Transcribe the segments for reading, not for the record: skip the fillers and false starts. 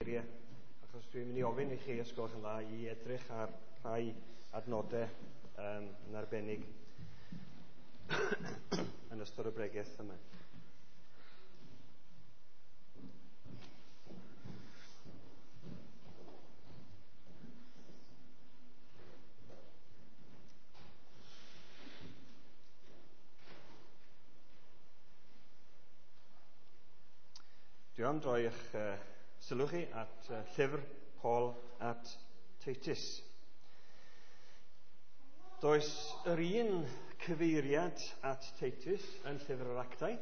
Geiriau, achos dwi'n mynd i ofyn i chi, os gwelwch yn dda, i edrych ar rhai adnodau yn arbennig yn ystod y bregeth yma. Dwi am droi eich sylw chi at llyfr Paul at Titus. Does yr un cyfeiriad at Titus yn llyfr yr Actau,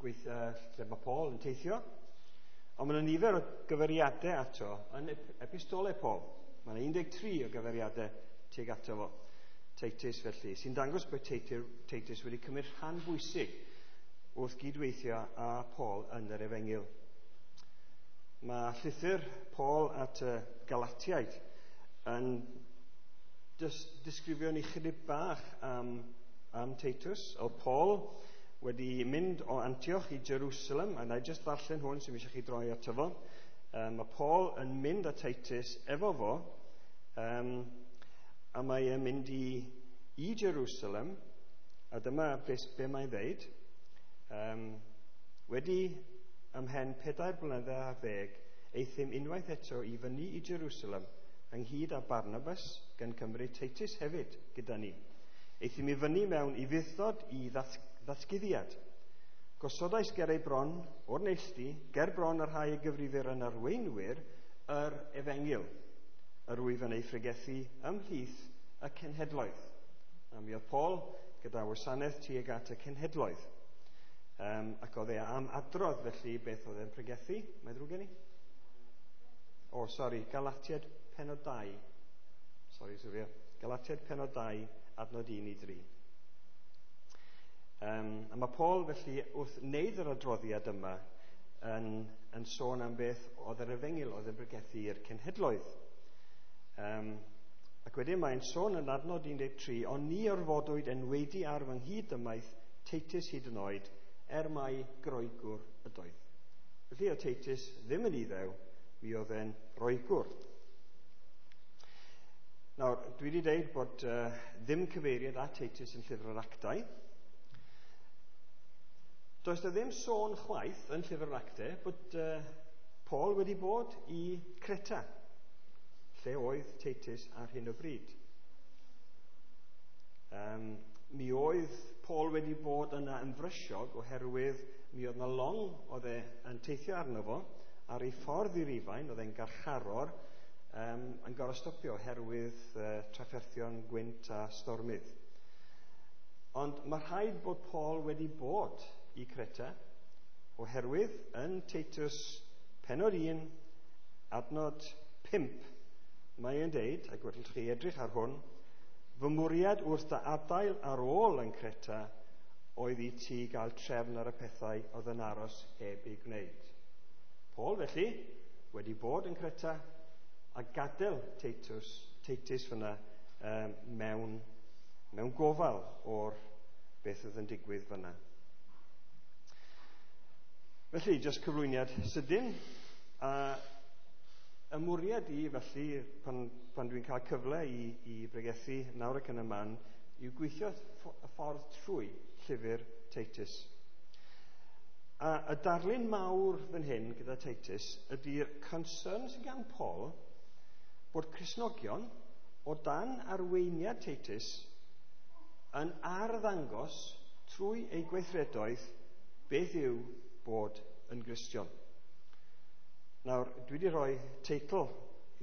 lle mae Paul yn teithio, ond mae yna nifer o gyfeiriadau ato yn epistolau Paul. Mae yna 13 o gyfeiriadau tuag ato fo, Titus felly, sy'n dangos bod Titus wedi cymryd rhan bwysig wrth gydweithio â Paul yn yr Efengyl. Mae llythyr Paul at y Galatiaid yn disgrifio ni chydig bach am Titus. Oedd Paul wedi mynd o Antioch i Jerusalem, a na i jyst ddarllen hwn sy'n eisiau chi droi ato fo. Mae Paul yn mynd â Titus efo fo, a mae e'n mynd i Jerusalem, a dyma be mae'n ddeud. Wedi ymhen 4 blynedd ar ddeg, aethum unwaith eto i fyny i Jerusalem, ynghyd â Barnabas, gan cymryd Titus hefyd gyda ni. Aethum i fyny mewn ufudd-dod i ddatguddiad. Gosodais ger ei bron o'r neilltu, ger bron y rhai y gyfrifir yn arweinwyr yr Efengyl, yr wyf yn ei phregethu ymhlith y cenhedloedd. A mi oedd Paul gyda wasanaeth tuag at y cenhedloedd. Ac oedd e am adrodd felly beth oedd e'n pregethu. Mae'n ddrwg gen i? O, sori, Galatiaid penod 2. Sori, Sylvia. Galatiaid penod 2, adnod 1 i 3. A mae Paul felly wrth wneud yr adroddiad yma yn sôn am beth oedd yr Efengyl oedd yn pregethu i'r cenhedloedd. Ac wedyn mae'n sôn yn adnod 13, ond ni orfodwyd enwaedu ar fy nghyd-dymaith Titus hyd yn oed, er mai Groegwr ydoedd. Felly oedd Titus ddim yn Iddew, mi oedd e'n Roegwr. Nawr, dwi wedi dweud bod ddim cyfeiriad at Titus yn llyfr yr Actau. Does 'na ddim sôn chwaith yn llyfr yr Actau bod Paul wedi bod i Creta, lle oedd Titus ar hyn o bryd. Mi oedd Paul wedi bod yna yn frysiog oherwydd mi oedd yna long oedd e yn teithio arno fo ar ei ffordd i Rufain, oedd e'n garcharor, yn gorfod stopio oherwydd trafferthion gwynt a stormydd. Ond mae rhaid bod Paul wedi bod i Creta oherwydd yn Titus penod 1, adnod 5, mae e'n deud, ac wrth chi edrych ar hwn, fy mwriad wrth dy adael ar ôl yn Creta oedd i ti gael trefn ar y pethau oedd yn aros heb ei gwneud. Paul felly wedi bod yn Creta a gadael Titus fyna mewn gofal o'r beth oedd yn digwydd fyna. Felly, jyst cyflwyniad sydyn. A y mwriad i, felly, pan dwi'n cael cyfle i bregethu nawr ac yn y man, yw gweithio y ffordd trwy llyfr Titus. A y darlun mawr fan hyn gyda Titus ydy'r concern sydd gan Paul bod Cristnogion o dan arweiniad Titus yn arddangos trwy eu gweithredoedd beth yw bod yn Gristion. Nawr, dwi wedi rhoi teitl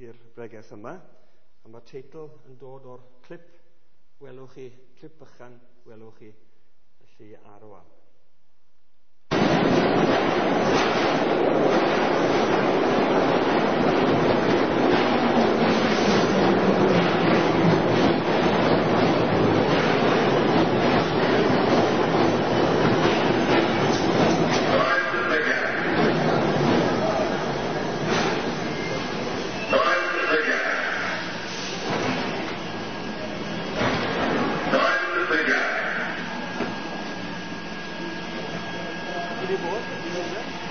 i'r bregeth yma, a mae'r teitl yn dod o'r clip welwch chi, clip bychan welwch chi, felly ar y wal. Wedi bod?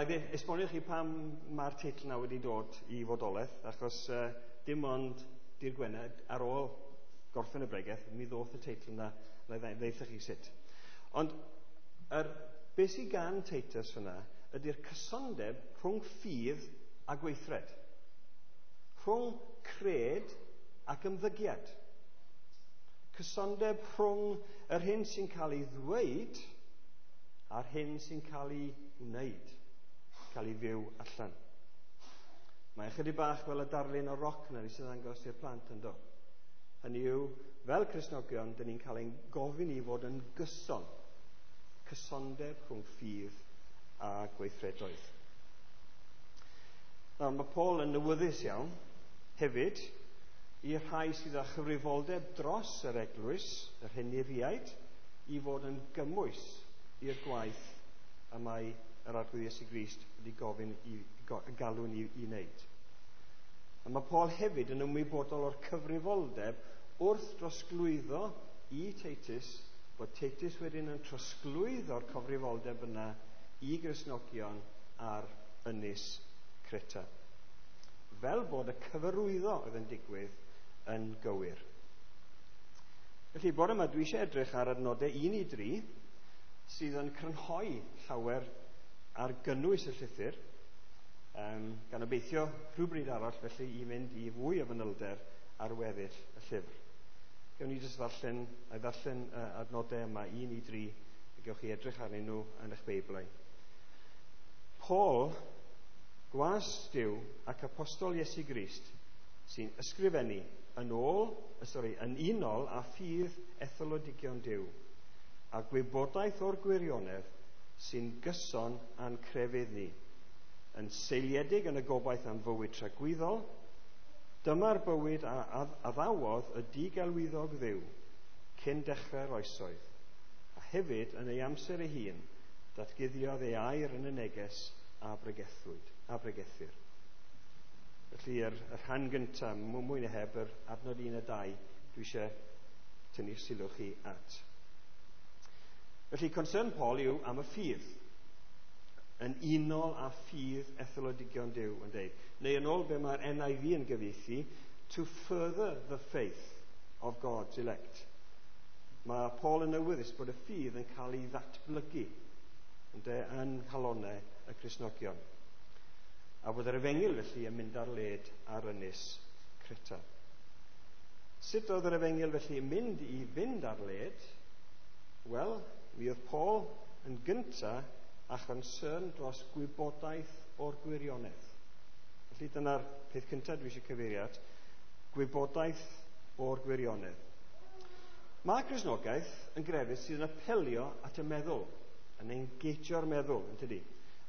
na i esbonio chi pam mae'r teitl yna wedi dod i fodolaeth, achos dim ond dydd Gwener ar ôl gorffen y bregeth, mi ddoth y teitl yna, na i ddeutha chi sut. Ond beth sydd gan Titus fyna ydy'r cysondeb rhwng ffydd a gweithred. Rhwng cred ac ymddygiad. Cysondeb rhwng yr hyn sy'n cael ei ddweud a'r hyn sy'n cael ei wneud, cael ei fyw allan. Mae ychydig bach fel y darlun o roc na sy'n ddangos i'r plant yn do. Hynny yw, fel Cristnogion, dyn ni'n cael ein gofyn i fod yn gyson. Cysondeb rhwng ffydd a gweithredoedd. Nawr, mae Paul yn awyddus iawn hefyd i'r rhai sydd â chyfrifoldeb dros yr eglwys, yr henuriaid, i fod yn gymwys i'r gwaith y mae yr Arglwydd Iesu Grist wedi gofyn i galw ni i wneud. A mae Paul hefyd yn ymwybodol o'r cyfrifoldeb wrth drosglwyddo i Titus, bod Titus wedyn yn trosglwyddo'r cyfrifoldeb yna i Gristnogion ar ynys Creta. Fel bod y cyfarwyddo oedd yn digwydd yn gywir. Felly, bore yma dwi eisiau edrych ar adnodau 1 i 3 sydd yn crynhoi llawer ar gynnwys y llythyr, gan obeithio rhywbryd arall felly i fynd i fwy o fanylder ar weddill y llyfr. Gewn ni jyst ddarllen adnodau yma 1 i 3, a gewch chi edrych arnyn nhw yn eich Beiblau. Paul, gwas Duw ac apostol Iesu Grist, sy'n ysgrifennu yn unol â ffydd etholodigion Duw, a gwybodaeth o'r gwirionedd sy'n gyson â'n crefydd ni, yn seiliedig yn y gobaith am fywyd tragwyddol, dyma'r bywyd a addawodd y digelwyddog Dduw cyn dechrau'r oesoedd, a hefyd yn ei amser ei hun, datguddiodd ei air yn y neges a bregethir. Felly, yr rhan gyntaf, mwy na heb, yr adnod 1 a 2, dwi eisiau tynnu sylw chi at. Felly, concern Paul yw am y ffydd, yn unol â ffydd etholodigion Duw yn deud. Neu yn ôl be mae'r NIV yn gyfieithu, to further the faith of God's elect. Mae Paul yn awyddus bod y ffydd yn cael ei ddatblygu yn nghalonnau y Cristnogion. A bod yr efengyl felly yn mynd ar led ar ynys Creta. Sut oedd yr efengyl felly yn mynd i fynd ar led? Wel, mi oedd Paul yn gynta a chonsern dros gwybodaeth o'r gwirionedd. Felly dyna'r peth cyntaf dwi eisiau cyfeirio at, gwybodaeth o'r gwirionedd. Mae Cristnogaeth yn grefydd sydd yn apelio at y meddwl, yn engageio'r meddwl, yn tydi?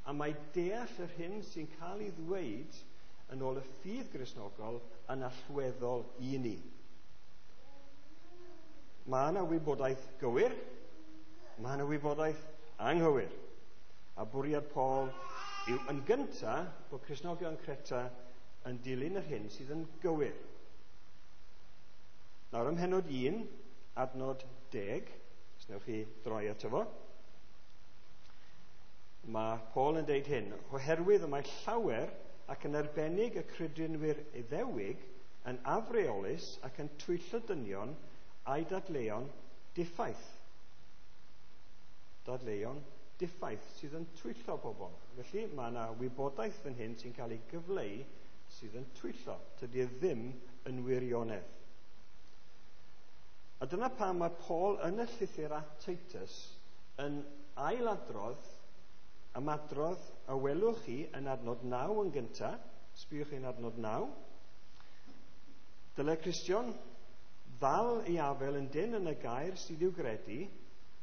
A mae deall yr hyn sy'n cael ei ddweud yn ôl y ffydd Gristnogol yn allweddol i ni. Mae yna wybodaeth gywir, mae yna wybodaeth anghywir. A bwriad Paul yw yn gyntaf bod Cristnogion Creta yn dilyn yr hyn sydd yn gywir. Nawr ym mhennod 1, adnod 10, os newch chi droi ato fo, mae Paul yn deud hyn, oherwydd y mae llawer ac yn arbennig y credinwyr Iddewig yn afreolus ac yn twyllo dynion a'i dadleuon diffaith. Dadleuon diffaith sydd yn twyllo pobl. Felly mae yna wybodaeth fan hyn sy'n cael ei gyfleu sydd yn twyllo. Tydi e ddim yn wirionedd. A dyna pam mae Paul yn y llythyr at Titus yn ailadrodd ymadrodd a welwch chi yn adnod 9 yn gyntaf. Sbïwch chi yn adnod 9. Dyle Cristion ddal ei afel yn dyn yn y gair sydd i'w gredu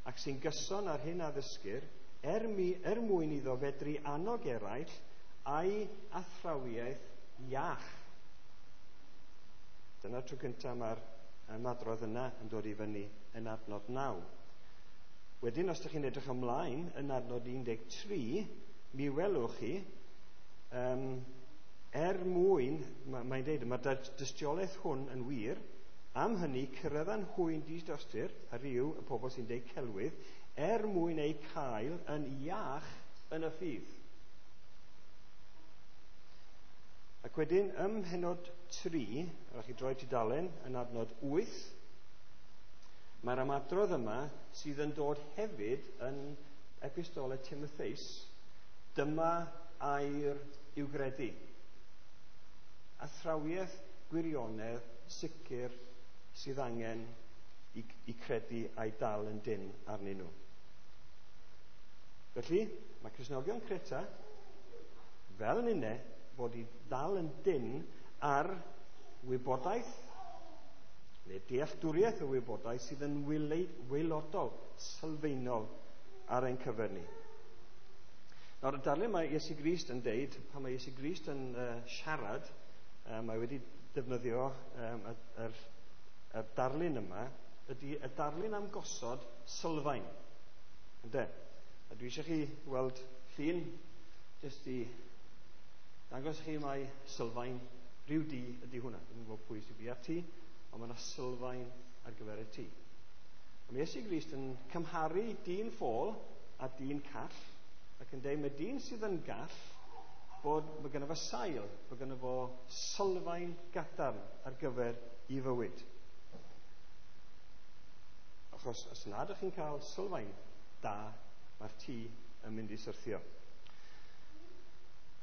ac sy'n gyson ar hyn a ddysgir, er mwyn iddo fedru annog eraill a'i athrawiaeth iach. Dyna'r tro cyntaf mae'r ymadrodd yna yn dod i fyny yn adnod 9. Wedyn, os ydych chi'n edrych ymlaen yn adnod 13, mi welwch chi, er mwyn, mae'n deud, mae'r dystiolaeth hwn yn wir, am hynny cyrraeddan hwy'n didostur, a rhyw y pobl sy'n deud celwydd, er mwyn eu cael yn iach yn y ffydd. Ac wedyn, ym mhennod 3, rhaid chi droi tudalen yn adnod 8, mae'r ymadrodd yma sydd yn dod hefyd yn epistolau Timotheus, dyma air i'w gredu. Athrawiaeth gwirionedd sicr sydd angen i credu a'i dal yn dynn arnyn nhw. Felly, mae Cristnogion Creta, fel ninne, fod i ddal yn dynn ar wybodaeth neu dealltwriaeth o wybodaeth sydd yn waelodol, sylfaenol ar ein cyfer ni. Nawr, y darlun mae Iesu Grist yn deud, pan mae Iesu Grist yn siarad, mae wedi defnyddio y darlun yma, ydy y darlun am gosod sylfaen. Ynde? A dwi eisiau chi weld llun, jyst i dangos chi mai sylfaen rhyw dŷ ydy hwnna. Dwi'n gwybod pwy sy'n bia'r tŷ, ond mae yna sylfaen ar gyfer y tŷ. A mae Iesu Grist yn cymharu dyn ffôl a dyn call, ac yn dweud mae dyn sydd yn gall bod mae gynno fo sail, bod gynno fo sylfaen gadarn ar gyfer ei fywyd. Achos os nad ydych chi'n cael sylfaen da, mae'r tŷ yn mynd i syrthio.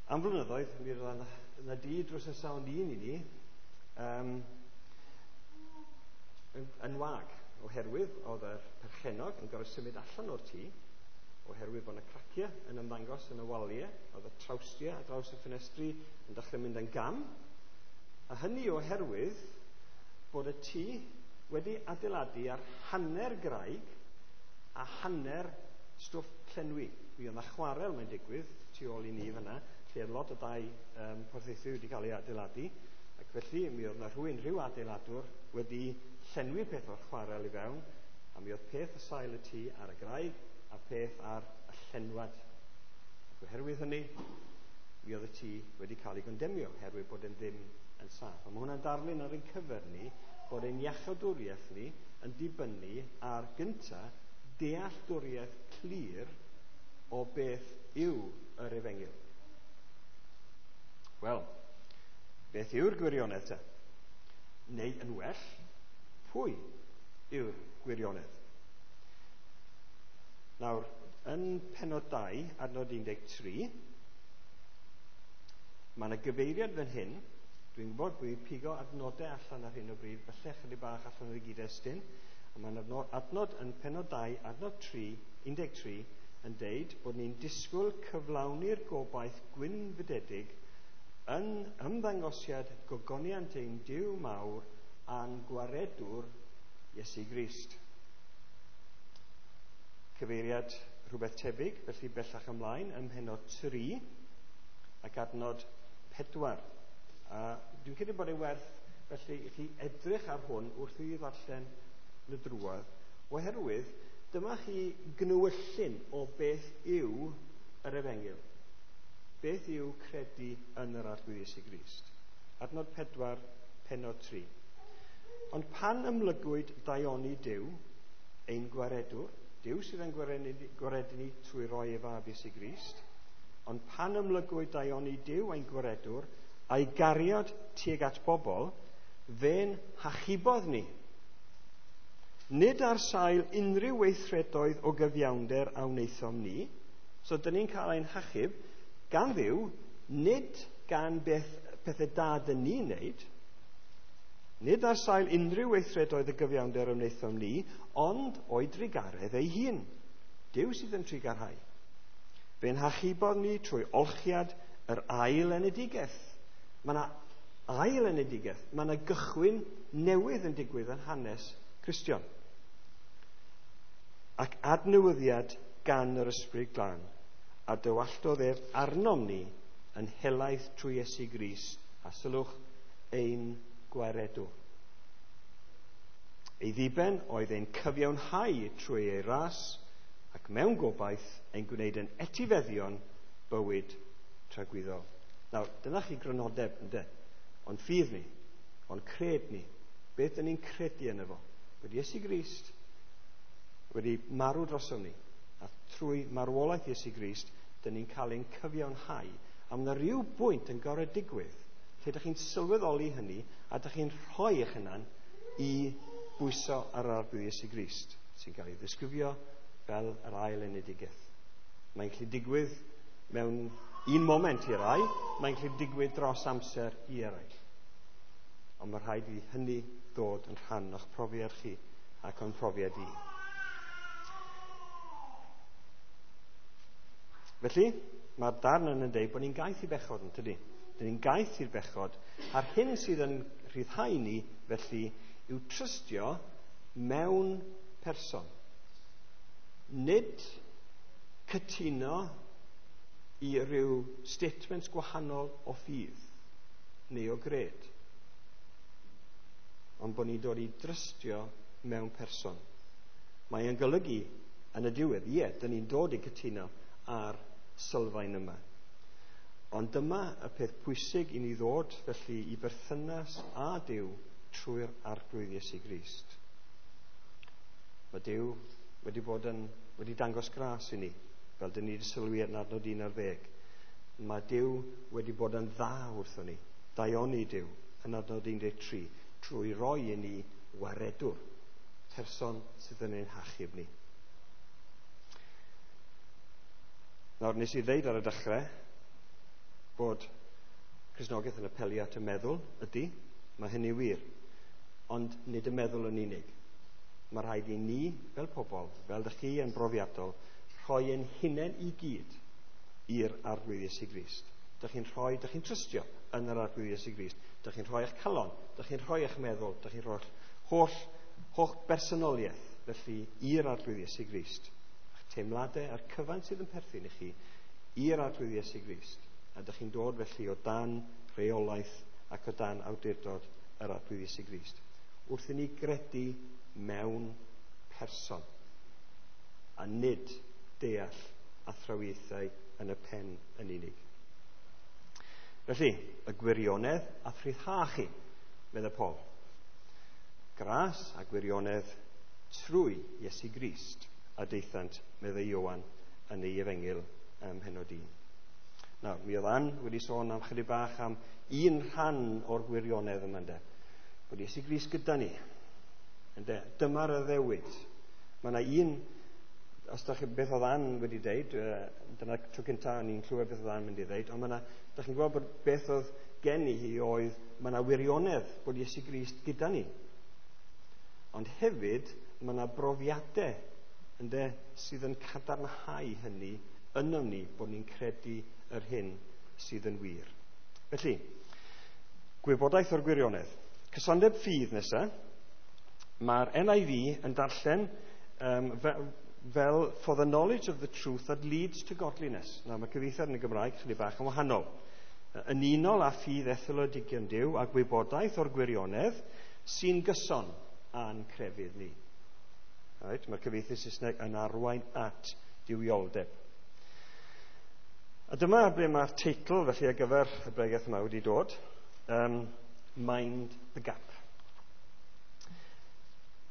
Am flynyddoedd, mi roedd yna dŷ drws nesaf ond un i ni yn wag, oherwydd oedd yr perchennog yn gorfod symud allan o'r tŷ, oherwydd bod yna craciau yn ymddangos yn y waliau, oedd y trawstiau ar draws y ffenestri yn dechrau mynd yn gam, a hynny oherwydd bod y tŷ wedi adeiladu ar hanner graig a hanner stwff llenwi. Mi oedd yna chwarel, mae'n digwydd, tu ôl i ni fyna, lle oedd lot o dai Porthaethwy wedi cael ei adeiladu, ac felly mi oedd yna rhywun, rhyw adeiladwr, wedi llenwi peth o'r chwarel i fewn, a mi oedd peth o sail y tŷ ar y graig a peth ar y llenwad. Ac oherwydd hynny, mi oedd y tŷ wedi cael ei gondemio, oherwydd bod e'n ddim yn saff. A mae hwnna'n darlun ar ein cyfer ni, bod ein iachawdwriaeth ni yn dibynnu ar gynta dealltwriaeth clir o beth yw yr efengyl. Wel, beth yw'r gwirionedd te? Neu yn well, pwy yw'r gwirionedd? Nawr, yn pennod 2, adnod 13, mae yna gyfeiriad fan hyn. Dwi'n gwybod bod fi'n pigo adnodau allan ar hyn o bryd, falle chydig bach allan o'r gyd-destun, ond mae'n adnod yn pennod 2, adnod 3, 13, yn deud bod ni'n disgwyl cyflawni'r gobaith gwynfydedig yn ymddangosiad gogoniant ein Duw mawr a'n gwaredwr Iesu Grist. Cyfeiriad rhywbeth tebyg, felly bellach ymlaen ym mhennod 3 ac adnod 4. A dwi'n credu bod ei werth felly i chi edrych ar hwn wrth i fi ddarllen yn y drwodd, oherwydd dyma chi gnewyllyn o beth yw yr efengyl. Beth yw credu yn yr Arglwydd Iesu Grist? Adnod 4, pennod 3. Ond pan ymlygwyd daioni Duw, ein gwaredwr, Duw sydd yn gwaredu ni trwy roi ei fab Iesu Grist, ond pan ymlygwyd daioni Duw ein gwaredwr, a'i gariad tuag at bobl, fe'n hachubodd ni. Nid ar sail unrhyw weithredoedd o gyfiawnder a wnaethom ni, so dyn ni'n cael ein hachub gan Dduw, nid gan beth pethau da dyn ni'n wneud, nid ar sail unrhyw weithredoedd o gyfiawnder a wnaethom ni, ond o'i drugaredd ei hun. Duw sydd yn trugarhau. Fe'n hachubodd ni trwy olchiad yr ail enedigaeth. Mae yna ail enedigaeth. Mae yna gychwyn newydd yn digwydd yn hanes Cristion. Ac adnewyddiad gan yr Ysbryd Glân, a dywalltodd ef arnom ni yn helaeth trwy Iesu Grist, a sylwch, ein gwaredwr. Ei ddiben oedd ein cyfiawnhau trwy ei ras, ac mewn gobaith ein gwneud yn etifeddion bywyd tragwyddol. Nawr, dyna chi grynodeb, ynde? Ond ffydd ni, ond cred ni, beth dyn ni'n credu yno fo? Bod Iesu Grist wedi marw drosom ni, a trwy marwolaeth Iesu Grist, dyn ni'n cael ein cyfiawnhau. A mae yna rhyw bwynt yn gorfod digwydd Lle ydych chi'n sylweddoli hynny a ydych chi'n rhoi eich hunan i bwyso ar yr Arglwydd Iesu Grist, sy'n cael ei ddisgrifio fel yr ail enedigaeth. Mae'n gallu digwydd mewn un moment i rai, mae'n gallu digwydd dros amser i eraill. Ond mae rhaid i hynny ddod yn rhan o'ch profiad chi ac o'n profiad i. Felly, mae'r darn yn dweud bod ni'n gaeth i bechod, yn tydi? Dyn ni'n gaeth i'r bechod, a'r hyn sydd yn rhyddhau ni, felly, yw trystio mewn person. Nid cytuno i ryw statements gwahanol o ffydd neu o gred, ond bod ni'n dod i drystio mewn person. Mae yn golygu yn y diwedd, ie, dyn ni'n dod i cytuno ar sylfaen yma. Ond dyma y peth pwysig i ni ddod felly i berthynas â Duw trwy'r Arglwydd Iesu Grist. Mae Duw wedi dangos gras i ni, fel dyn ni wedi sylwi yn adnod 11. Mae Duw wedi bod yn dda wrthon ni, daioni Duw, yn adnod 13, trwy roi i ni waredwr, person sydd yn ein hachub ni. Nawr, nes i ddeud ar y dechrau bod Cristnogaeth yn apelio at y meddwl, ydy, mae hynny wir, ond nid y meddwl yn unig. Mae rhaid i ni, fel pobl, fel dych chi yn brofiadol, rhoi ein hunain i gyd i'r Arglwydd Iesu Grist. Dych chi'n rhoi, dych chi'n trystio yn yr Arglwydd Iesu Grist. Dych chi'n rhoi eich calon, dych chi'n rhoi eich meddwl, dych chi'n rhoi'ch holl bersonoliaeth, felly, i'r Arglwydd Iesu Grist. Eich teimladau a'r cyfan sydd yn perthyn i chi i'r Arglwydd Iesu Grist. A dych chi'n dod felly o dan reolaeth ac o dan awdurdod yr Arglwydd Iesu Grist. Wrth i ni gredu mewn person a nid deall athrawiaethau yn y pen yn unig. Felly, y gwirionedd a rhyddhau chi, meddai Paul. Gras a gwirionedd trwy Iesu Grist a daethant, meddai Ioan yn ei efengyl ym mhennod 1. Nawr, mi oedd Ann wedi sôn am chydig bach am un rhan o'r gwirionedd yma, ynde. Bod Iesu Grist gyda ni. Ynde, dyma'r addewid. Mae yna un, os da chi beth oedd Ann wedi deud, dyna tro cyntaf o'n i'n clywed beth oedd Ann mynd i ddeud, ond mae yna, da chi'n gweld bod beth oedd gen i hi oedd, mae yna wirionedd bod Iesu Grist gyda ni. Ond hefyd, mae yna brofiadau, ynde, sydd yn cadarnhau hynny ynom ni bod ni'n credu yr hyn sydd yn wir. Felly, gwybodaeth o'r gwirionedd. Cysondeb ffydd nesaf. Mae'r NIV yn darllen fel for the knowledge of the truth that leads to godliness. Nawr, mae cyfieithiad yn y Gymraeg chydig bach yn wahanol. Yn unol â ffydd etholedigion Duw a gwybodaeth o'r gwirionedd sy'n gyson â'n crefydd ni. Right? Mae'r cyfieithu Saesneg yn arwain at duwioldeb. A dyma ble mae'r teitl felly ar gyfer y bregeth yma wedi dod. Mind the Gap.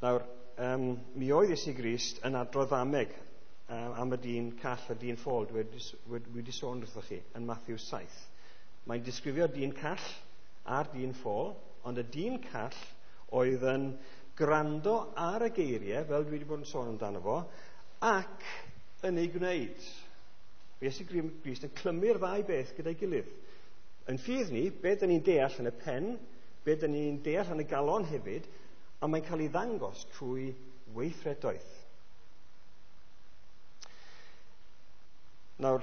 Nawr, mi oedd Iesu Grist yn adrodd ddameg am y dyn call a dyn ffôl, dwi wedi sôn wrthoch chi, yn Matthew 7. Mae'n disgrifio dyn call a'r dyn ffôl, ond y dyn call oedd yn gwrando ar y geiriau, fel dwi wedi bod yn sôn amdano fo, ac yn ei gwneud. Iesu Grist yn clymu'r ddau beth gyda'i gilydd. Yn ffydd ni, be dyn ni'n deall yn y pen, be dyn ni'n deall yn y galon hefyd, a mae'n cael ei ddangos trwy weithredoedd. Nawr,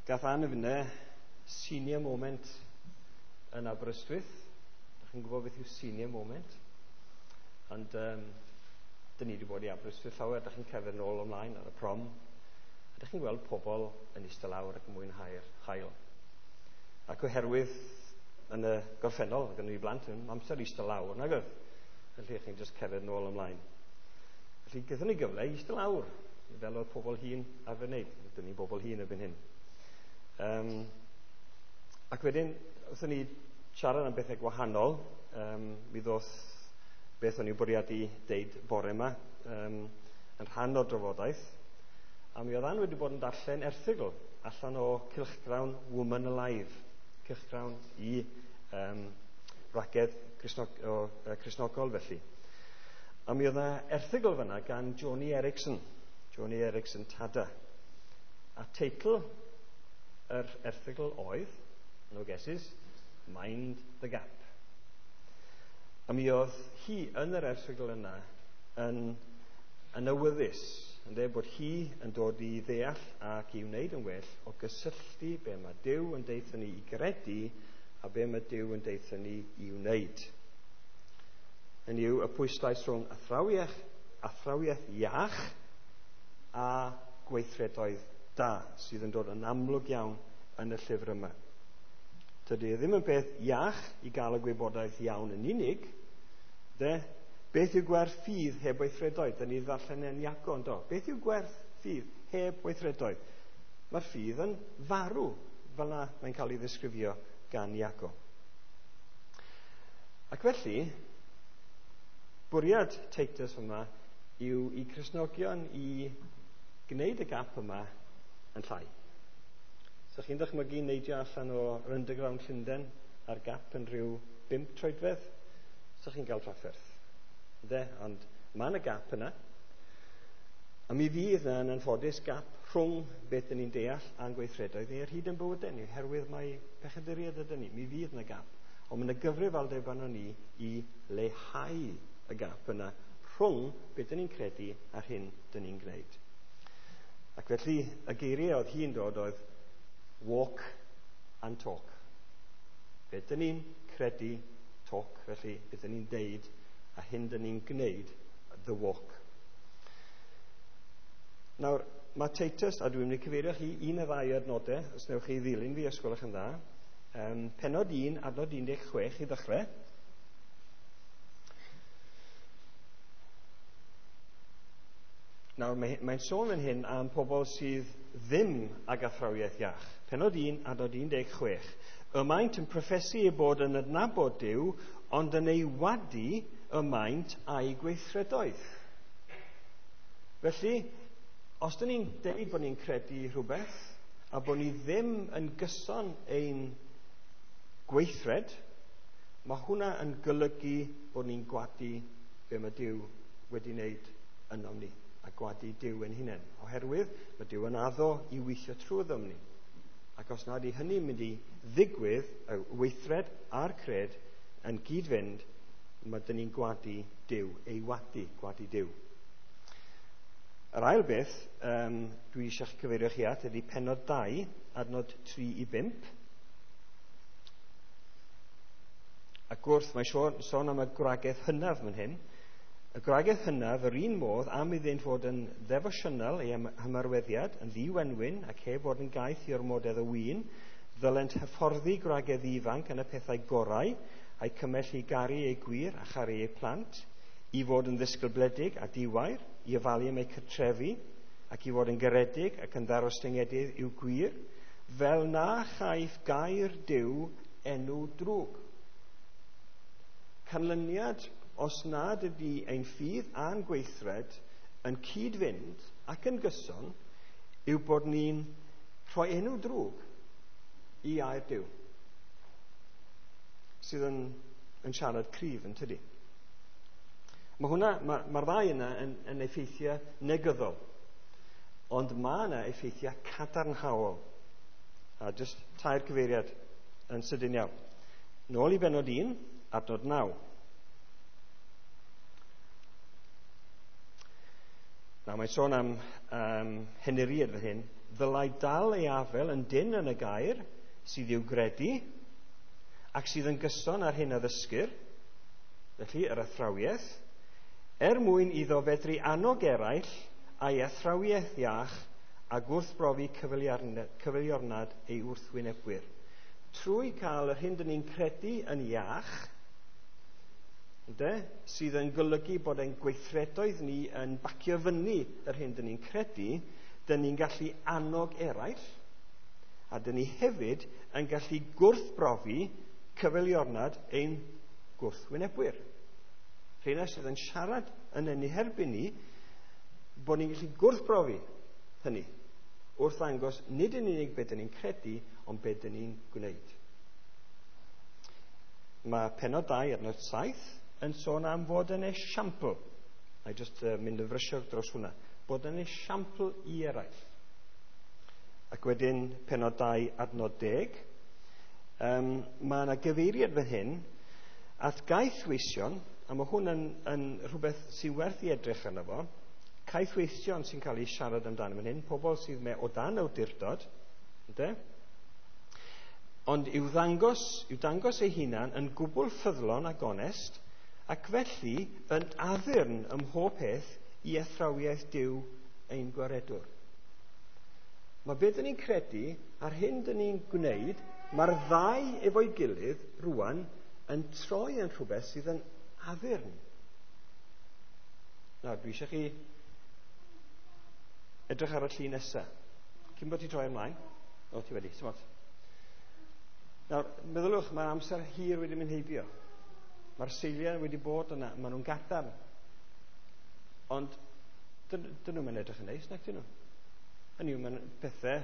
gath Ann a finne senior moment yn Aberystwyth. Dach chi'n gwybod beth yw senior moment? Ond dyn ni wedi bod i Aberystwyth llawer, dach chi'n cerdded nôl ymlaen ar y prom. A dach chi'n gweld pobl yn eistedd lawr ac yn mwynhau'r haul. Ac oherwydd yn y gorffennol, gan ni blant yn amser eistedd lawr, nag oedd? Felly chi'n just cerdded nôl ymlaen. Felly gaethon ni gyfle i eistedd lawr, fel oedd pobl hŷn arfer wneud. Dyn ni'n bobl hŷn erbyn hyn. Ac wedyn, wrthon ni siarad am bethau gwahanol, mi ddoth beth o'n i'n bwriadu deud bore yma, yn rhan o'r drafodaeth. A mi oedd Ann wedi bod yn darllen erthygl allan o cylchgrawn Woman Alive. cylchgrawn i wragedd Cristnogol felly. A mi oedd yna erthygl fyna gan Joni Eareckson, Joni Eareckson Tada. A teitl yr erthygl oedd, no guesses, Mind the Gap. A mi oedd hi yn yr erthygl yna yn awyddus, yn dweud bod hi yn dod i ddeall ac i wneud yn well o gysylltu be mae Duw yn deutha ni i gredu a be mae Duw yn deutha ni i wneud. Hynny yw, y pwyslais rhwng athrawiaeth iach a gweithredoedd da sydd yn dod yn amlwg iawn yn y llyfr yma. Tydy e ddim yn beth iach i gael y gwybodaeth iawn yn unig, de? Beth yw gwerth ffydd heb weithredoedd? Dyn ni ddarllen yn Iago, yndo? Beth yw gwerth ffydd heb weithredoedd? Mae'r ffydd yn farw, fel na mae'n cael ei ddisgrifio gan Iago. Ac felly, bwriad Titus yma yw i Cristnogion i gwneud y gap yma yn llai. So chi'n dychmygu neidio allan o'r underground Llundain a'r gap yn rhyw 5 troedfedd? So chi'n cael trafferth. Ynde? Ond mae yna gap yna. A mi fydd yna yn anffodus gap rhwng beth dyn ni'n deall a'n gweithredoedd ni ar hyd yn bywydau ni, oherwydd mae pechaduriaid ydyn ni. Mi fydd yna gap. Ond mae yna gyfrifoldeb arno ni i leihau y gap yna rhwng beth dyn ni'n credu a'r hyn dyn ni'n gwneud. Ac felly, y geiriau oedd hi'n dod oedd walk and talk. Beth dyn ni'n credu, talk, felly beth dyn ni'n deud, a hyn dyn ni'n gwneud, the walk. Nawr, mae Titus, a dwi'n mynd i cyfeirio chi un neu ddau adnodau, os newch chi ddilyn fi, os gwelwch yn dda. Pennod 1, adnod 16 i ddechrau. Nawr, mae'n sôn yn hyn am pobl sydd ddim ag athrawiaeth iach. Pennod 1, adnod 16. Y maent yn proffesu eu bod yn adnabod Duw, ond yn ei wadu y maent a'i gweithredoedd. Felly, os dyn ni'n deud bod ni'n credu rhywbeth, a bod ni ddim yn gyson ein gweithred, mae hwnna yn golygu bod ni'n gwadu be mae Duw wedi wneud ynom ni, a gwadu Duw ein hunain. Oherwydd mae Duw yn addo i weithio trwyddom ni. Ac os nad yw hynny'n mynd i ddigwydd, y weithred a'r cred yn gyd-fynd, mae dyn ni'n gwadu Duw, ei wadu, gwadu Duw. Yr ail beth dwi eisiau cyfeirio chi at ydy pennod 2, adnod 3 i 5. Ac wrth, mae sôn am y gwragedd hynaf fan hyn. Y gwragedd hynaf, yr un modd, am iddynt fod yn ddefosiynol ei hymarweddiad, yn ddiwenwyn ac heb fod yn gaeth i ormodedd o win, ddylent hyfforddi gwragedd ifanc yn y pethau gorau, a'i cymell i garu eu gwir a charu eu plant, i fod yn ddisgybledig a diwair, i ofalu am eu cartrefi, ac i fod yn garedig ac yn ddarostyngedig i'w gwir, fel na chaiff gair Duw enw drwg. Canlyniad, os nad ydy ein ffydd a'n gweithred yn cyd-fynd ac yn gyson, yw bod ni'n rhoi enw drwg i air Duw, sydd yn siarad cryf yn tydi. Mae hwnna, mae'r ddau yna yn effeithiau negyddol, ond mae yna effeithiau cadarnhaol. A jyst tair cyfeiriad yn sydyn iawn. Nôl i bennod 1, adnod 9. Nawr, mae'n sôn am henuriad fan hyn. Ddylai dal ei afel yn dynn yn y gair sydd i'w gredu ac sydd yn gyson ar hyn a ddysgir, felly yr athrawiaeth, er mwyn iddo fedru annog eraill a'i athrawiaeth iach a gwrthbrofi cyfeiliornad ei wrthwynebwyr. Trwy cael yr hyn dyn ni'n credu yn iach, ynde, sydd yn golygu bod ein gweithredoedd ni yn bacio fyny yr hyn dyn ni'n credu, dyn ni'n gallu annog eraill, a dyn ni hefyd yn gallu gwrthbrofi cyfeiliornad ein gwrthwynebwyr. Rheina sydd yn siarad yn ein herbyn ni, bod ni'n gallu gwrthbrofi hynny wrth ddangos nid yn unig beth dyn ni'n credu, ond beth dyn ni'n gwneud. Mae pennod 2 adnod 7 yn sôn am fod yn esiampl. Na i jyst mynd yn frysiog dros hwnna. Bod yn esiampl i eraill. Ac wedyn pennod 2 adnod 10. Mae yna gyfeiriad fan hyn at gaethweision, a mae hwn yn rhywbeth sy'n werth i edrych arno fo. Caethweision sy'n cael ei siarad amdano fan hyn, pobl sydd o dan awdurdod, ynde? Ond i'w dangos ei hunan yn gwbl ffyddlon a gonest, ac felly yn addurn ym mhob peth i athrawiaeth Duw ein gwaredwr. Mae beth dyn ni'n credu a'r hyn dyn ni'n gwneud, mae'r ddau efo'i gilydd rwan yn troi yn rhywbeth sydd yn addurn. Nawr, dwi eisiau chi edrych ar y llun nesaf. Cyn bod ti troi ymlaen. O, ti wedi, smart. Nawr, meddyliwch, mae'r amser hir wedi mynd heibio. Mae'r seiliau wedi bod yna, maen nhw'n gadarn. Ond, dyn nhw'n mynd edrych yn neis, nac dyn nhw? Hynny yw, mae'n pethau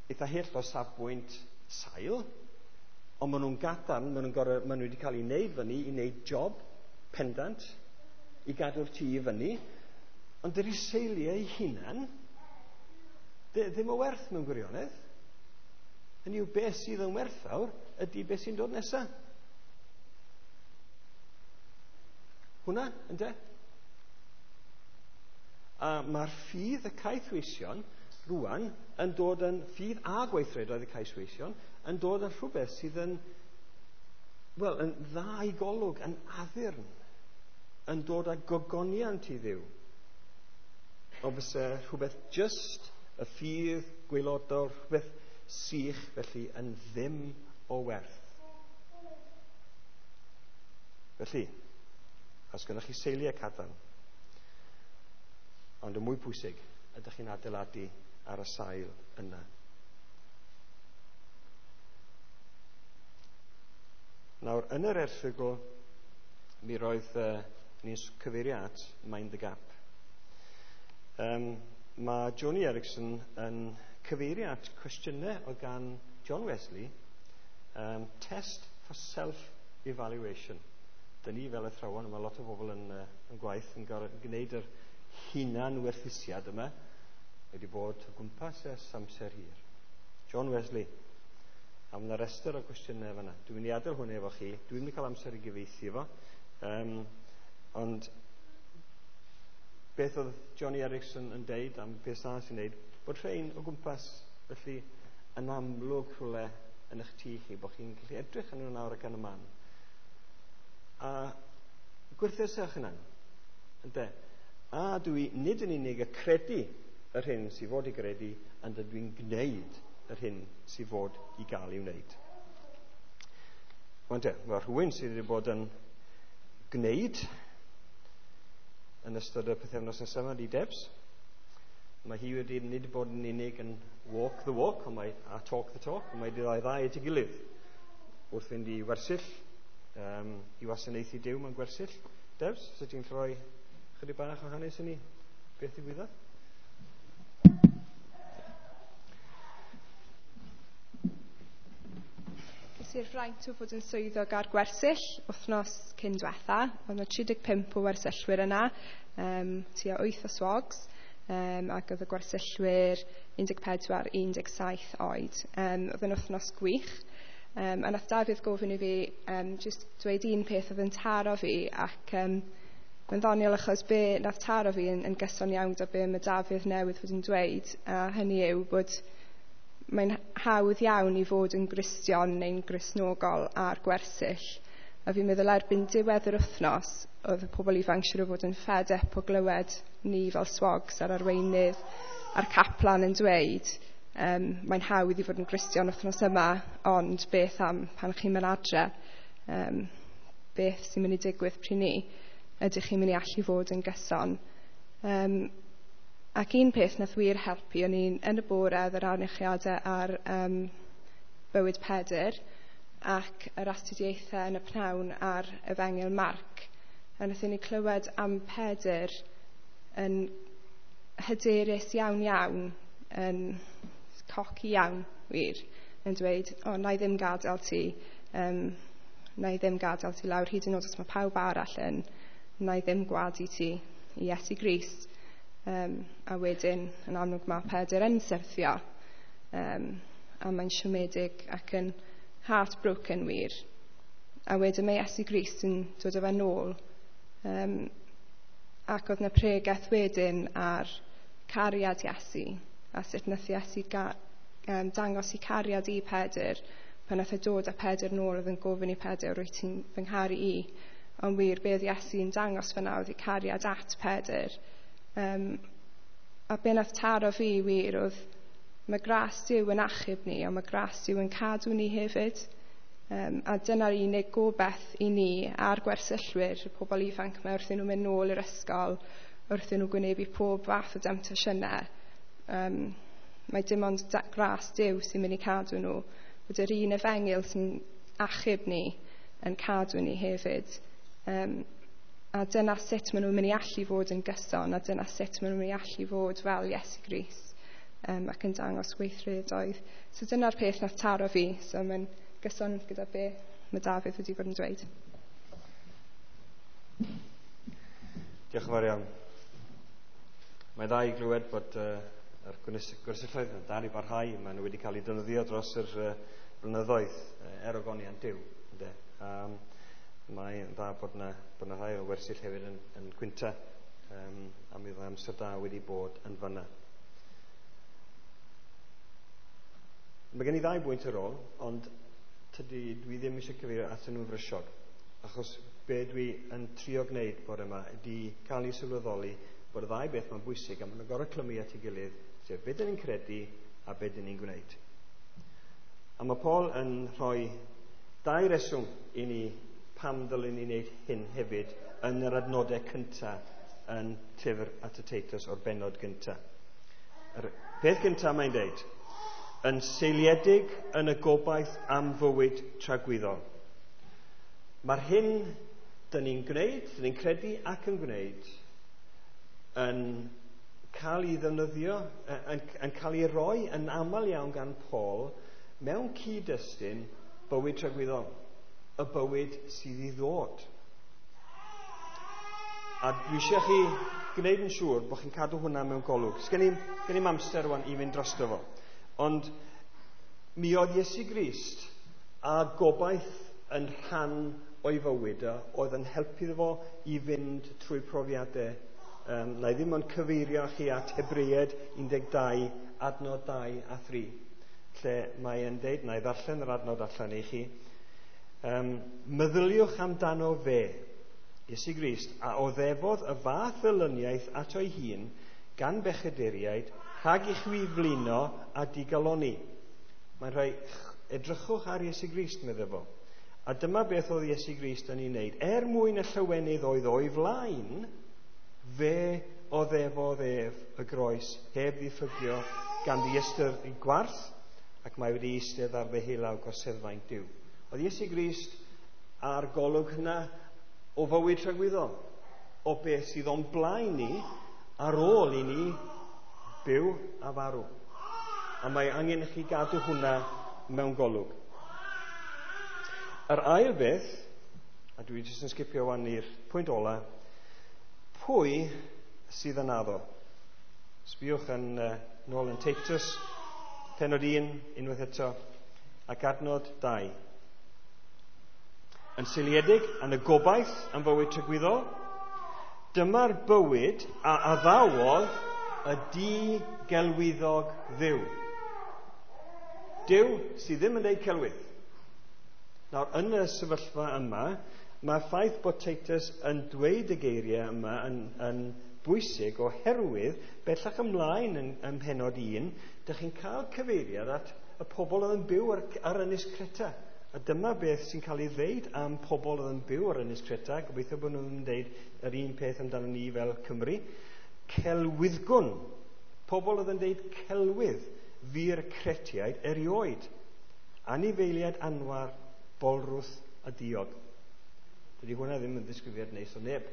eitha hyll o safbwynt sail, ond maen nhw'n gadarn, maen nhw wedi cael ei wneud fyny, i wneud job pendant, i gadw'r tŷ i fyny, ond dydy'r seiliau eu hunan ddim o werth mewn gwirionedd. Hynny yw, beth sydd yn werthfawr ydy beth sy'n dod nesaf. Hwna, ynde? A mae'r ffydd y caethweision rwan yn dod yn ffydd a gweithredoedd y caethweision yn dod yn rhywbeth sydd yn, wel, yn dda i golwg, yn addurn, yn dod â gogoniant i Dduw. Ond fysa rhywbeth just y ffydd gwaelodol, rhywbeth sych felly yn ddim o werth. Felly, os gennych chi seiliau cadarn, ond yn mwy pwysig, ydych chi'n adeiladu ar y sail yna. Nawr, yn yr erthygl, mi roedd ni'n cyfeirio at Mind the Gap. Mae Joni Eareckson yn cyfeirio at cwestiynau oedd gan John Wesley, test for self-evaluation. Dyn ni fel athrawon, mae lot o bobl yn gwaith yn gwneud yr hunan-werthusiad yma, wedi bod o gwmpas ers amser hir. John Wesley. A mae yna restr o gwestiynau fanna. Dwi'n mynd i adael hwn efo chi. Dwi'n mynd i cael amser i gyfieithu fo. Ond beth oedd Joni Eareckson yn deud am beth sa'n sy'n deud, bod rhain o gwmpas, felly yn amlwg rhywle yn eich tŷ chi, bod chi'n gallu edrych yn nhw nawr ac yn y man. A gwerthuswch yna. Ynde? A dwi nid yn unig y credu yr hyn sydd fod i gredu, ond dwi'n gwneud yr hyn sydd fod i gael ei wneud. Wan te, mae rhywun sydd wedi bod yn gwneud yn ystod y pythefnos nesaf yma, di Debs. Mae hi wedi nid bod yn unig yn walk the walk, ond mae a talk the talk, ond mae wedi ddau at ei gilydd wrth fynd i wersyll, i wasanaethu Duw mewn gwersyll. Debs, sut ti'n rhoi chydig bach o hanes i ni? Beth ddigwyddodd? Ges i'r fraint o fod yn swyddog ar gwersyll wythnos cyn diwetha. Oedd yna 35 o wersyllwyr yna, tua 8 o swogs, ac oedd y gwersyllwyr 14, 17 oed. Oedd yn wythnos gwych. A nath Dafydd gofyn i fi just dweud un peth oedd yn taro fi, ac mae'n ddoniol achos be nath taro fi yn gyson iawn gyda be mae Dafydd newydd fod yn dweud, a hynny yw bod mae'n hawdd iawn i fod yn Gristion neu'n Gristnogol ar gwersyll. A fi'n meddwl erbyn diwedd yr wythnos, oedd y pobl ifanc siŵr o fod yn fed up o glywed ni fel swogs a'r arweinydd a'r caplan yn dweud, mae'n hawdd i fod yn Gristion wythnos yma, ond beth am pan chi'n mynd adre, beth sy'n mynd i digwydd pryd ni? Ydych chi'n mynd i allu fod yn gyson? Ac un peth nath wir helpu, o'n i'n yn y bore oedd yr anerchiadau ar bywyd Pedr ac yr astudiaethau yn y pnawn ar Efengyl Marc. A nathon ni clywed am Pedr yn hyderus iawn iawn, yn coci iawn wir, yn dweud, o, na i ddim gadael ti, Na i ddim gadael ti lawr, hyd yn oed os mae pawb arall yn, na i ddim gwadu ti i Iesu Grist. A wedyn, yn amlwg, mae Pedr yn syrthio. A mae'n siomedig ac yn heartbroken wir. A wedyn mae Iesu Grist yn dod â fe nôl. Ac oedd 'na pregeth wedyn ar cariad Iesu, a sut nath Iesu dangos i cariad i Pedr pan nath e dod â Pedr nôl, oedd yn gofyn i Pedr, "Rwyt ti'n fy ngharu i?" Ond wir, be oedd Iesu'n dangos fyna oedd ei cariad at Pedr. A be nath taro fi wir oedd mae gras Duw yn achub ni, ond mae gras Duw yn cadw ni hefyd. A dyna'r unig gobaith i ni a'r gwersyllwyr, y pobl ifanc yma, wrth i nhw mynd nôl i'r ysgol, wrth i nhw gwynebu pob fath o demtasiynau. Mae dim ond gras Duw sy'n mynd i cadw nhw. Bod yr un efengyl sy'n achub ni yn cadw ni hefyd. A dyna sut maen nhw'n mynd i allu fod yn gyson, a dyna sut maen nhw'n mynd i allu fod fel Iesu Grist, ac yn dangos gweithredoedd. So dyna'r peth nath taro fi, so mae'n gyson gyda be mae Dafydd wedi bod yn dweud. Diolch yn fawr iawn. Mae dda i glywed bod yr gwersylloedd yn dal i barhau. Maen nhw wedi cael eu defnyddio dros yr blynyddoedd er ogoniant Duw. Ynde? Mae'n dda bod 'na rhai o wersyll hefyd yn Cwynta, a mi oedd amser da wedi bod yn fanna. Mae gen i ddau bwynt ar ôl, ond tydi, dwi ddim eisiau cyfeirio atyn nhw'n frysiog, achos be dwi yn trio gwneud bore yma ydy cael ei sylweddoli bod y ddau beth mae'n bwysig a maen nhw'n gorfod clymu at ei gilydd, sef be dyn ni'n credu a be dyn ni'n gwneud. A mae Paul yn rhoi dau reswm i ni pam ddylen ni wneud hyn hefyd yn yr adnodau cyntaf yn llyfr at y Teitus o'r bennod gyntaf. Yr peth gyntaf mae'n deud, yn seiliedig yn y gobaith am fywyd tragwyddol. Mae'r hyn dyn ni'n gwneud, dyn ni'n credu ac yn gwneud, yn cael ei ddefnyddio, yn cael ei roi yn aml iawn gan Paul mewn cyd-destun bywyd tragwyddol, y bywyd sydd i ddod. A dwi eisiau chi gwneud yn siŵr bod chi'n cadw hwnna mewn golwg. Sgen i'm amser rwan i fynd drosto fo. Ond mi oedd Iesu Grist a gobaith yn rhan o'i fywyd o, oedd yn helpu fo i fynd trwy profiadau. Na i ddim ond cyfeirio chi at Hebreaid 12, adnod 2 a 3, lle mae e'n deud, na i ddarllen yr adnod allan i chi, meddyliwch amdano fe, Iesu Grist, a oddefodd y fath elyniaeth ato ei hun gan bechaduriaid, rhag i chwi flino a digaloni. Mae'n rhoi, edrychwch ar Iesu Grist, meddai fo. A dyma beth oedd Iesu Grist yn ei wneud. Er mwyn y llywenydd oedd o'i flaen, fe oddefodd ef y groes, heb ddiffygio gan ddiystyr ei gwarth, ac mae wedi eistedd ar ddeheulaw gorseddfainc Duw. Oedd Iesu Grist ar golwg hynna o fywyd tragwyddol, o beth sydd o'n blaen ni ar ôl i ni byw a farw. A mae angen i chi gadw hwnna mewn golwg. Yr ail beth, a dwi jyst yn sgipio wan i'r pwynt ola, pwy sydd yn addo? Sbiwch yn nôl yn Teitus, pennod 1, unwaith eto, ac adnod 2. Yn seiliedig yn y gobaith am fywyd tragwyddol, dyma'r bywyd a addawodd y di-gelwyddog Dduw. Duw sydd ddim yn deud celwydd. Nawr, yn y sefyllfa yma, mae'r ffaith bod Teitus yn dweud y geiriau yma yn bwysig oherwydd bellach ymlaen yn pennod 1, dych chi'n cael cyfeiriad at y pobl oedd yn byw ar Ynys Creta. A dyma beth sy'n cael ei ddeud am pobl oedd yn byw ar Ynys Creta. Gobeithio bod nhw'n deud yr un peth amdano ni fel Cymru. Celwyddgwn. Pobl oedd yn deud celwydd fu'r Cretiaid erioed. Anifeiliaid anwar, bolrwth a diog. Dydy hwnna ddim yn ddisgrifiad neis o neb.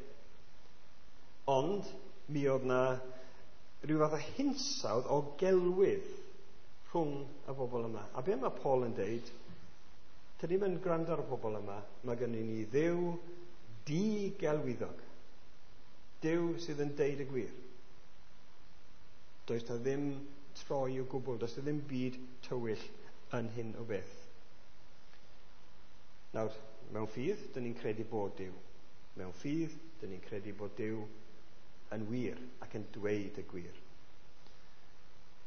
Ond mi oedd na rhyw fath o hinsawdd o gelwydd rhwng y bobl yma. A be mae Paul yn deud? Dyn ni'n mynd gwrando ar y pobl yma, mae gynnu ni Dduw digelwyddog. Duw sydd yn deud y gwir. Does na ddim troi o gwbl, does na ddim byd tywyll yn hyn o beth. Nawr, mewn ffydd, dyn ni'n credu bod Duw. Mewn ffydd, dyn ni'n credu bod Duw yn wir ac yn dweud y gwir.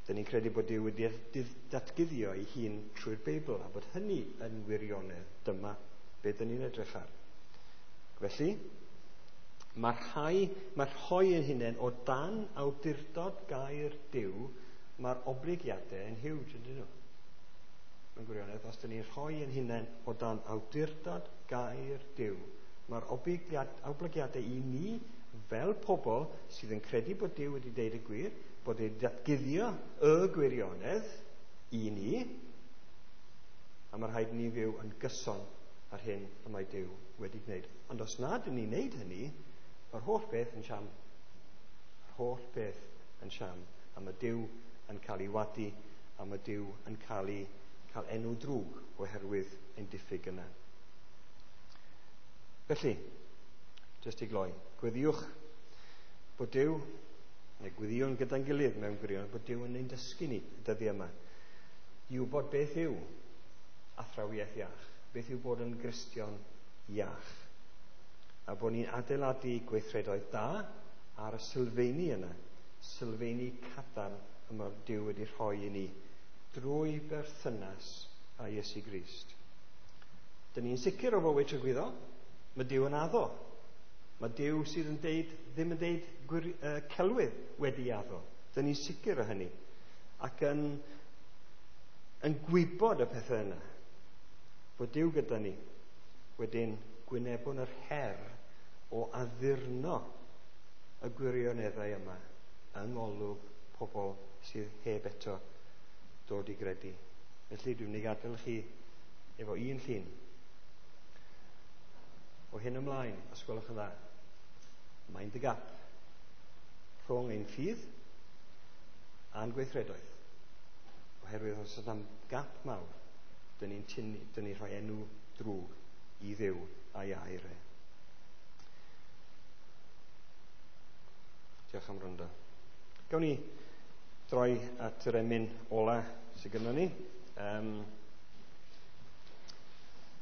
Dyn ni'n credu bod Duw wedi datguddio ei hun trwy'r Beibl a bod hynny yn wirionedd. Dyma be dyn ni'n edrych ar. Felly, mae rhoi ein hunain o dan awdurdod gair Duw, mae'r oblygiadau yn huge, ydyn nhw? Mewn gwirionedd, os dyn ni'n rhoi ein hunain o dan awdurdod gair Duw, mae'r oblygiadau i ni fel pobl sydd yn credu bod Duw wedi deud y gwir, bod wedi datguddio y gwirionedd i ni, a mae rhaid ni fyw yn gyson ar hyn y mae Duw wedi gwneud. Ond os nad ydyn ni'n gwneud hynny, mae'r holl beth yn siam. Yr holl beth yn siam. A mae Duw yn cael ei wadu, a mae Duw yn cael ei cael enw drwg oherwydd ein diffyg yna. Felly, jyst i gloi, gweddiwch bod Duw, neu gweddiwn gyda'n gilydd mewn gwirionedd, bod Duw yn ein dysgu ni y dyddiau yma, i wybod beth yw athrawiaeth iach, beth yw bod yn Gristion iach, a bod ni'n adeiladu gweithredoedd da ar y sylfeini yna, sylfeini cadarn y mae Duw wedi rhoi i ni drwy berthynas â Iesu Grist. Dyn ni'n sicr o fywyd tragwyddol. Mae Duw yn addo. Mae Duw sydd yn deud, ddim yn deud celwydd wedi addo. Dyn ni'n sicr o hynny. Ac yn gwybod y pethau yna. Bod Duw gyda ni. Wedyn gwynebwn yr her o addurno y gwirioneddau yma yng ngolwg pobl sydd heb eto dod i gredu. Felly dwi'n mynd i gadael chi efo un llun. O hyn ymlaen, os gwelwch yn dda, mind the gap rhwng ein ffydd a'n gweithredoedd. Oherwydd os yna gap mawr, dyn ni'n rhoi enw drwg i Dduw a'i air e. Diolch am wrando. Gawn ni droi at yr emyn ola sydd gynnon ni.